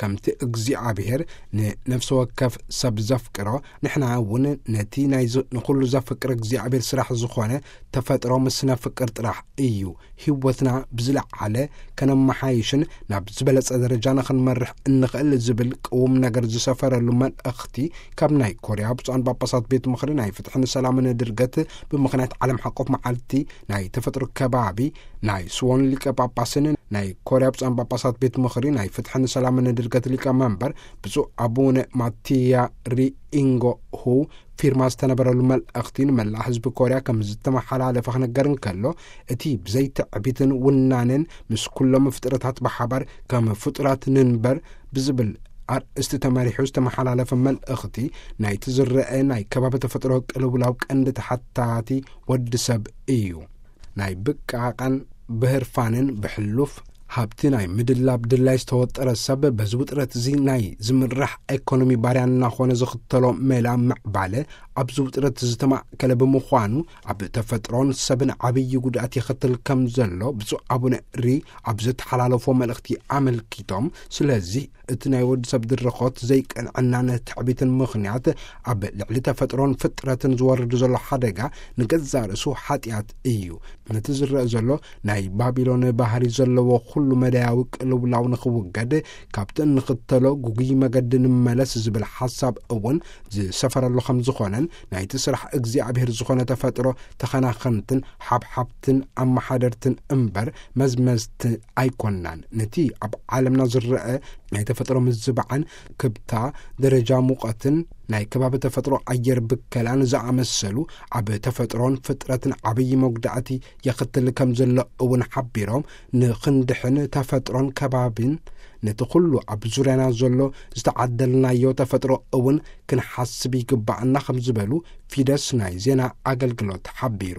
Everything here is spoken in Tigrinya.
ከምቲ እግዚኣብሔር ንነፍሲ ወከፍ ሰብ ዘፍቅሮ፣ ንሕና እውን ነቲ ናይ ዝ-፣ ንኹሉ ዘፍቅር እግዚኣብሔር ስራሕ ዝኾነ ተፈጥሮ ምስ ነፍቅር ጥራሕ እዩ ህይወትና ብዝለዓለ ከነመሓይሽን ናብ ዝበለጸ ደረጃ ንኽንመርሕ እንኽእል ዝብል ቅውም ነገር ዝሰፈረሉ መልእኽቲ ካብ ናይ ኮርያ ብፁዓን ጳጳሳት ቤት ምኽሪ ናይ ፍትሕን ሰላምን ድርገት ብምኽንያት ዓለም ሓቆፍ መዓልቲ ናይ ተፈጥሮ ከባቢ ናይ ስዎን ሊቀ ጳጳስን ናይ ኮርያ ብፁዓን ጳጳሳት ቤት ምኽሪ ናይ ፍትሕን ሰላምን ድርገት ሊቀ መንበር ብፁዕ ኣቡነ ማቲያ ሪኢንጎ ሁ ፊርማ ዝተነበረሉ መልእኽቲ ንመላእ ህዝቢ ኮርያ ከም ዝተመሓላለፈ ክነገር እንከሎ፣ እቲ ብዘይትዕቢትን ውናንን ምስ ኩሎም ፍጥረታት ብሓባር ከም ፍጡራት ንንበር ብዝብል ኣርእስቲ ተመሪሑ ዝተመሓላለፈ መልእኽቲ፣ ናይቲ ዝረአ ናይ ከባቢ ተፈጥሮ ቅልውላው ቀንዲ ተሓታቲ ወዲ ሰብ እዩ። ናይ ብቃቃን ብህርፋንን ብሕሉፍ ሃብቲ ናይ ምድላብ ድላይ ዝተወጠረ ሰብ፣ በዚ ውጥረት እዚ ናይ ዝምራሕ ኤኮኖሚ ባርያ እናኾነ ዝኽተሎ ሜላ ምዕባለ ኣብዚ ውጥረት ዝተማእከለ ብምዃኑ፣ ኣብ ተፈጥሮን ሰብን ዓብዪ ጉድኣት የኸትል ከም ዘሎ ብፁዕ ኣቡነ ሪ ኣብ ዘተሓላለፎ መልእኽቲ ኣመልኪቶም፣ ስለዚ እቲ ናይ ወዲ ሰብ ድርኾት ዘይቅንዕናን ትዕቢትን ምኽንያት ኣብ ልዕሊ ተፈጥሮን ፍጥረትን ዝወርድ ዘሎ ሓደጋ ንገዛእ ርእሱ ሓጢኣት እዩ። ነቲ ዝረአ ዘሎ ናይ ባቢሎን ባህሪ ዘለዎ ኩሉ መዳያዊ ቅልውላው ንኽውገድ፣ ካብቲ እንኽተሎ ጉጉይ መገዲ ንመለስ ዝብል ሓሳብ እውን ዝሰፈረሉ ከም ዝኾነን፣ ናይቲ ስራሕ እግዚኣብሔር ዝኾነ ተፈጥሮ ተኸናኸንትን ሓብሓብትን ኣመሓደርትን እምበር መዝመዝቲ ኣይኮናን። ነቲ ኣብ ዓለምና ዝረአ ናይ ተፈጥሮ ምዝባዕን ክብታ ደረጃ ሙቐትን ናይ ከባቢ ተፈጥሮ ኣየር ብከላን ዝኣመሰሉ ኣብ ተፈጥሮን ፍጥረትን ዓብዪ መጉዳእቲ የኽትል ከም ዘሎ እውን ሓቢሮም፣ ንኽንድሕን ተፈጥሮን ከባቢን ነቲ ኩሉ ኣብ ዙርያና ዘሎ ዝተዓደልናዮ ተፈጥሮ እውን ክንሓስብ ይግባኣና ከም ዝበሉ ፊደስ ናይ ዜና ኣገልግሎት ሓቢሩ።